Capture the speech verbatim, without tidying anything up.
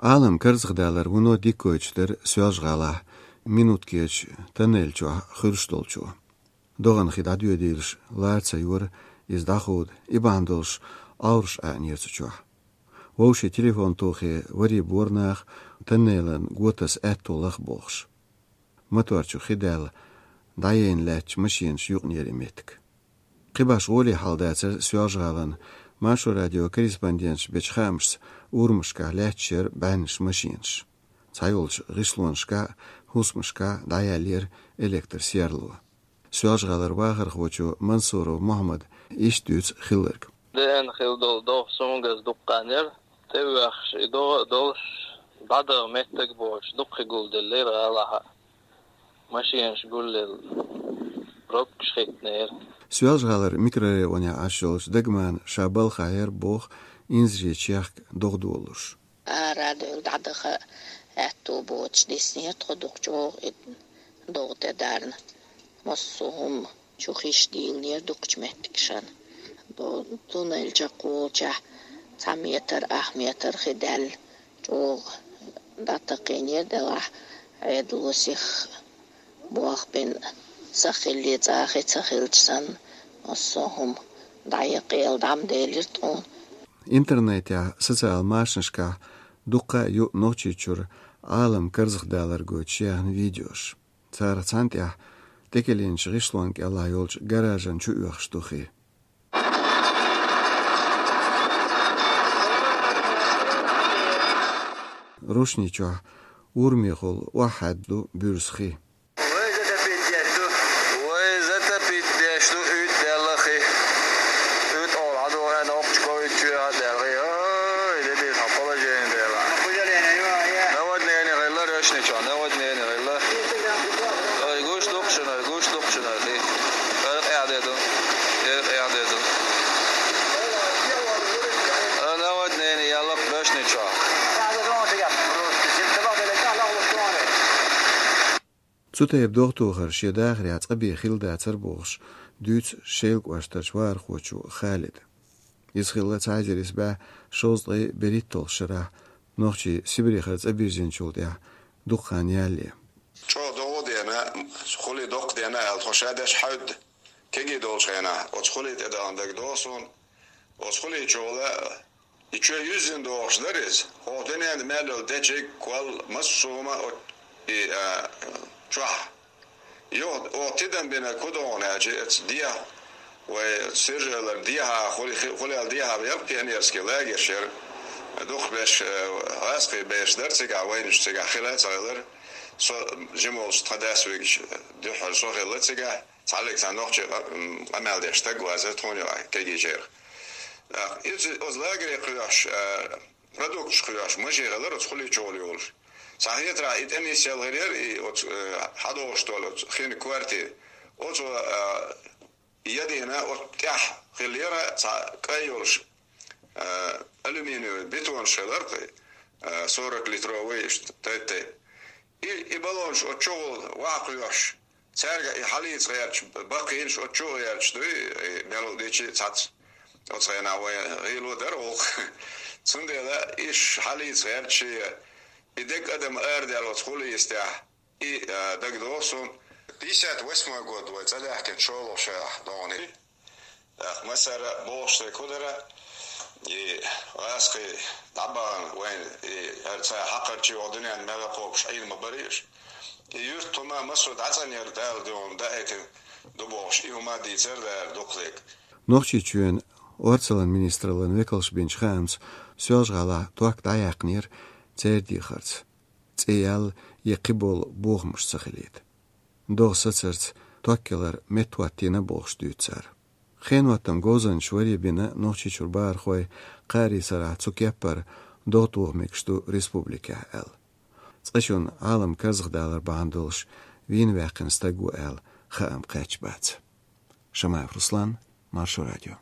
Ӏалам карзахдалар вуно дика гойтуш дара Соьлжа-ГӀалахь Минуткечу тоннель чохь хуьлуш долчо. ДогӀанан хи дӀадоьдийлаш лара ца йора, иза дӀахода, и бахьана долуш Ӏовраш Ӏаьнера цу чохь. Вовшийн телефон тухий варе бора нах, тоннелан го таса аьтто лаха бохуш. Мотор чу хи даьлла, дӀаяйна лаьтташ машенаш юкъанера и меттиг. Кхин башха гӀоле хьал дацара Соьлжа-ГӀалахь. Маршо радион корреспонденташа бечу хаамашца, урамашкахь лаьтташ яра бӀеннаш машенаш. Цхьайолчу гӀишлонашкахь, хӀусамашкахь дӀаяьллера электросерло. Соьлжа-ГӀалара вахархочо Мансуров Мухьаммада иштта дуьйцу хилларг. Деана хилла долу догӀа суна газ дуккха яра. ТӀевоьхуш и догӀа а долуш, дӀадаха меттиг боцуш, дуккха гулделлера гӀалахь. Машенаш гулъелла, пробкаш хиънера. Соьлжа-ГӀалара микрорайонехь Ӏаш йолчу Дагмана ша балхахь яра боху инзаре чехка догӀа долуш. Ара а девлла дӀадаха аьтто боцуш диснера тхо, дукха чӀогӀа и догӀа тӀе дарна. Массо а хӀума чу хиш дийлинера дукхачу меттигашна. До-, туннель чекхволчохь цхьа метр, ах метр хи даьлла, чӀогӀа дӀатакхийнера делахь, Ӏедало сиха болх бина, сахилли цӀа хи ца хилча санна, массо а хӀума дӀаяккхийла дӀа ма делира тхуна. Интернетехь, социал машанашкахь дуккха а ю Нохчийчуьра Ӏалам карзахдалар гойтуш яьхна видеош. Царах цхьана тӀехь тӀекӀелинчу гӀишлон кӀелахь йолчу гаражан чу оьхуш ду хи. Рушни чохь урамехула охьахьаьдда ду буьрса хи. Вай затопить деш ду, вай затопить деш ду, уьйтӀа даьлла хи. УьйтӀа олу хьан ду, хьан нокхачу ковид чоьхьа даьлла хи. Ой, де бийр хьан положение дела. Наводнение хилла, рушни чохь наводнение хилла. Ой, гуш дукха шуна, ой, гуш дукха шуна, ой, хи. Ой, къехь де ду, ой, къехь де ду. Ой, наводнение ялла рушни чохь. Цу тайпа догӀатохар шен дахарехь цкъа бен хилла дацара бохуш, дуьйцу Шелан кӀоштарчу вахархочо Халида. Иза хилла цхьа эзар исс бӀе шовзткъе берхӀитталгӀачу шарахь нохчий Сибрехара цӀа бирзинчул тӀаьхьа дукха хан ялале. ЧӀогӀа догӀа дена, хули доккха дена аьлла, тхо ша деш хьаьвда кегий долчу хенахь, оцу хули тӀедална дагадогӀу суна. Оцу хули чухула и чоь юьззина догӀуш дара иза. ХӀокху дуьненна мел йолу дечиг, кол, массо а хӀума оцу, и, а, чохь. Юха оха тидам бина кху догӀана аьлча, эца дехьа, вай Сиржалара дехьа, хули-, хи-, хулел дехьа яра пионерский лагерь шера. Дукхахберш, э, гӀазкхий берш дара цигахь, вайнаш цигахь хила а ца хилара. Со жима волчу тхан дас вигича дуьххьара со хилла цигахь. Цхьаллиг цхьа нохчий къа-, м, къамел деш стаг вазара тхуна юкъахь кегийчерах. ТӀаккха иза оцу лагере кхоьхьуш, а, продукташ кхоьхьуш, машен хилара оцу хули чухула йолуш. Цхьа хетарехь и тӀе нисъелла хир яра, и оцу, э, хьадогӀуш долу оцу хин квартира. Оцу, а, ядийна оцу тӀехь хилла яра цхьа кӀай йолуш, а, алюминиевый бетонаш хилара кхин, а, сорок литровый иштта тайп-тайпа. И, и баллонаш оцу чухула ваха кхоьхьуш, цаьрга и хьалийца гӀерташ, баккхийнаш оцу чу а гӀерташ дуй, и мел дичи цац. Оцу хенахь вайн гӀийло дара гӀуллакх. Цундела иш хьалийца гӀерташ, и дерг адам арадаьлла оцу хули йистехь, и, а, дагадогӀу суна. Пятьдесят восьмой год вай цӀа даьхкина шолгӀа шарахь догӀана. ТӀаккха массара а бохуш дерг хӀун дара, и гӀазкхий дӀабахана вайна, и хӀара цхьа хьакхарчий оха дуьненна мел кхобуш Ӏийна ма барий уьш. И юьртахума массо а дӀацӀанъяр Дала дуьхьал даийтина ду бохуш, и хӀума дийцар дара дукхалиг. Нохчийчоьнан орцаллин министраллин векалша бинчу хаамца, Соьлжа-ГӀалахь ток дӀаяьккхинера церан дехарца, цӀе ял я кхиболу бохамаш ца хилийта. ДогӀа сацарца ток ялар меттахӀоттийна бохуш дуьйцу цара. Хеноттаман говзанчаш варе бина Нохчийчуьра бахархой, кхаарин сарахь цу кеппара догӀа тоха мегаш ду республикехь аьлла. Цкъачунна Ӏалам карзахдалар бахьана долуш вийна ваьккхина стаг ву аьлла хаам кхаьчна бац. Шамаев Руслан, Маршо радио.